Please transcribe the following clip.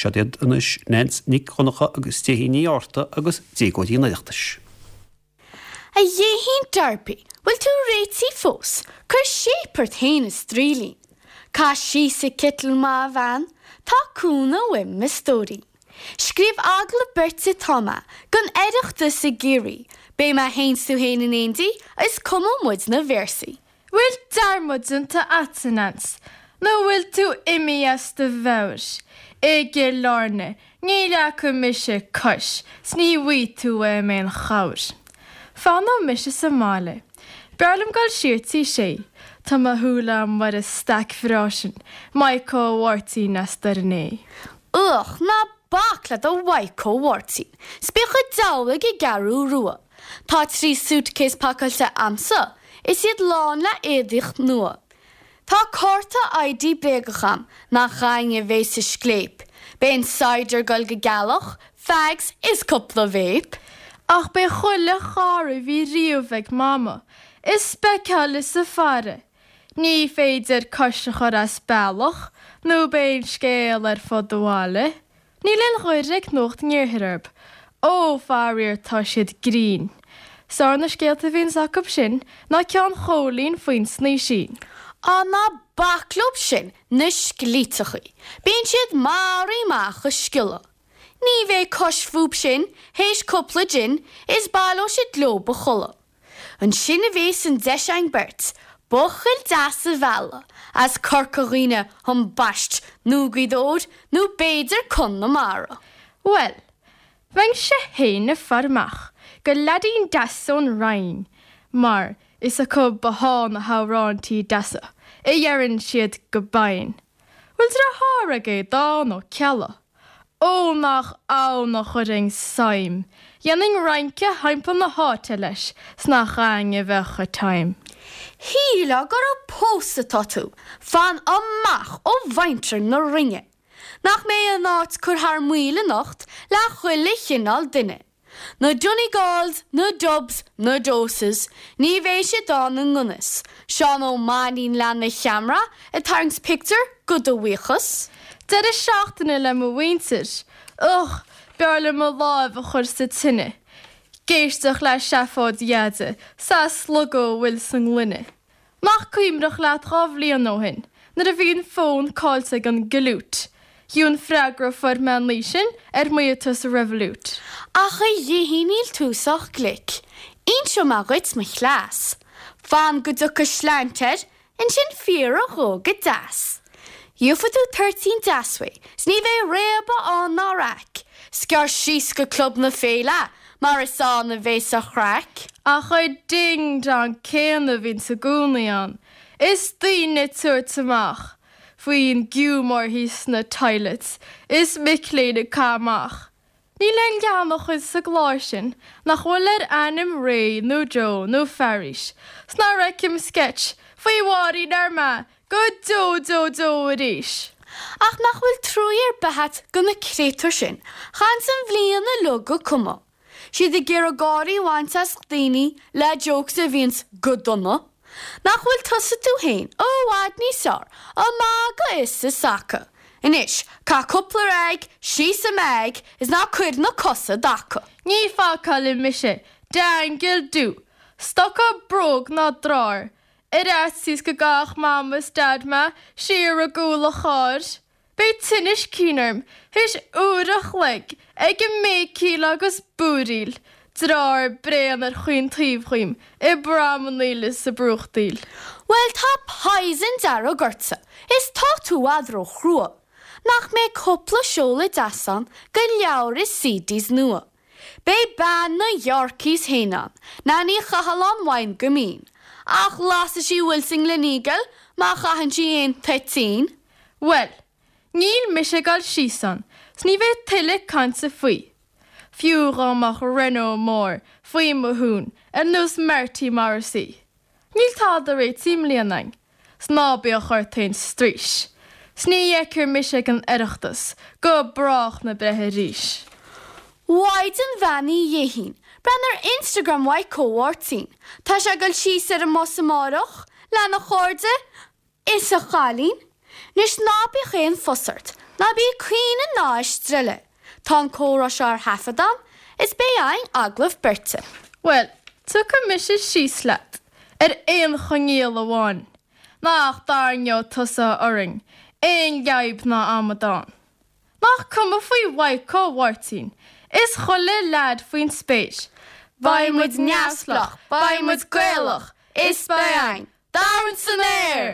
Seod iad anois Neans Nic Dhonncha agus Déithín Ní Fhátharta agus Déagóirí an Oireachtais. A Dhéithín Darby, bhfuil tú réitithe fós? Cuir shape ort fhéin a stroílín. Caith síos an citeal maith a bhean, tá cúnamh uaim a stóirín. Scríobh agallamh beirte atá mé don Oireachtas i gCiarraí, beidh mé fhéin 's tú fhéin in éindí is cumfaidh muid na véarsaí. Bhfuil dearmad déanta a'tsa, a Neans, nó bhfuil tú imithe as do mheabhair? I gCill Airne, ní leagfaidh mise cois 's ní bhfaighidh tú uaim aon chabhair. Fanfaidh mise sa mbaile. B'fhearr liom dul siar tí Sé. Tá mo shúil a'm ar an staic bhreá sin, Maidhcó Mháirtín as Doire an Fhéich. Uch, ná bac le do Mhaidhcó Mháirtín, 's bíodh an diabhal ag an gCeathrú Rua. Tá 3 suitcase pacáilte a'msa is iad lán le éadaíocht nua. Tá cárta ID bréagach a'm nach againne a bhéas an scléip. Beidh an cider goil go gealach, fags is cúpla vape. Ach beidh chuile chara a bhí riamh ag Mama is speiceáil is ag faire. Ní féidir cois a chur as bealach nó beidh an scéal ar fud an bhaile. Níl aon ghoir ag Nuacht an Iarthair orb. Ó, faraor, tá siad grinn. 'S fearr na scéalta a bhíonns acub sin ná ceann Chóilín faoin snaoisín. Á ná bac leob sin, na sclíteachaí. Bíonn siad maraithe amach ag sciolladh. Ní bheidh cois fúb sin théis cúpla gin is baileoidh siad leob a chodladh. Ansin a bhéas an deis againn beirt, buachaill deas a mhealladh as Corca Dhuibhne ambaist nó Gaoth Dobhair nó b'fhéidir Conamara. Bhuel, bheinnse fhéin ag faire amach go leaidín deas ón Rinn mar is acub athá na hamhráintí deasa a dheireann siad go binn. Bhfuil deartháir ag Aodán Ó Ceallaigh? Ó nach ann a chuirfinn suim! Dhéanfainn rince thimpeall na háite leis 's nach againn a bheadh an time. Shílfeá gur ag pósadh atá tú, fan amach ó mhuintir na Rinne. Nach mbeidh an áit curtha thar maoil anocht le chuile chineál duine. Na Donegals, na Dubs, na Doses, ní bheidh siad ann i ngan fhios. Seán Ó Mainnín lena cheamara ag tarraingt pictiúr go do bhuíochas. Deireadh seachtaine le mo mhuintir. Ugh, b'fhearr liom mo láimh a chur sa tine. 'G éisteacht le seafóid Dheaide 's a' slogadh a bhfuil sa ngloine. Nach cuimhneach leat 2 bhliain ó shin nuair a bhí an fón caillte ag an gcliút? Fiú an freagra a fuair mé an oíche sin ar miotas Revolut. Ach a Dhéithín níl tú sách glic. Inseoidh mé dhuit mo chleas. Fan go dtiocfaidh slant air, ansin fiafraigh dhó go deas. Gheobhaidh tú toirtín deas uaidh, 's ní bheidh réabadh ann ná raic. 'S gearr síos go Club na Féile mar is ann a bhéas an chraic. Ach an ding dong céanna a bhíonns i gcónaí ann, is daoine ag tabhairt amach faoin giúmar thíos sna toilets is mic léinn ag caitheamh amach. Níl aon gheanach sa gclár sin nach bhfuil ar ainm Ray nó Joe nó Fearghas 's nár fheicim sketch faoi Mháirín Armagh go deo deo deo arís. Ach nach bhfuil truaí ar bith a't go na créatúir sin, chaitheanns an bhliain uilig ag cumadh. Siad ag iarraidh gáirí a bhaint as daoine le jokes a bhíonns go dona. Nach bhfuil tusa tú fhéin i bhfad níos fearr ag magadh is ag sacadh. Anois, caith cúpla rag síos an mbag is ná cuir na cosa i dtaca. Ní phacálfaidh mise d'aingeal dubh, stoca bróg ná drár, ar fhaitíos go gcaithfeadh Mam is Daid mé siar i gcúl an chairr. Beidh tinneas cinn orm théis uair a chloig ag béicíl agus búiríl, deartháir bréan ar chaon taobh dhíom ag pramannaíl is ag brúchtaíl. Bhuel tá poison dearg ortsa is tá tú i bhfad ró-chrua. Nach mbeidh cúpla seoladh deas ann go leabhar is CDs nua. Beidh bean na Yorkies féin ann, Nanny Chathalláin Mhaighin go mín. Ach lasfaidh sí a bhfuil sa nGleneagle má chaitheann sí aon toitín. Bhuel, níl mise ag dul síos ann, 's ní bheidh tuilleadh cainte faoi. Fiú dhá mbeadh Renault mór faoi mo thún ar nós Marty Morrissey. Níl tada réitithe i mbliana a'inn, 's ná bíodh ort aon straois. 'S ní fheicfir mise ag an Oireachtas go brách na breithe arís. Mhaighdean Bheannaithe a Dhéithín, breathnaigh ar Instagram Mhaidhcó Mháirtín. Tá sé ag dul síos ar an mbus amáireach, lena chairde, Is a chailín, 'nois ná bíodh aon phus ort. Ná bí ag caoineadh ná ag streilleadh. Tá an comhrá seo ar thaifead a'm is beidh a'inn agallamh beirte. Bhuel, tiocfaidh mise síos leat, ar aon choinníoll amháin, nach dtarraingeoidh tusa orainn aon jib ná amadán. Nach cuma faoi Mhaidhcó Mháirtín is chuile leaid faoin spéir. Beidh muid neamhspleách, beidh muid Gaelach, is beidh a'inn dorn san aer!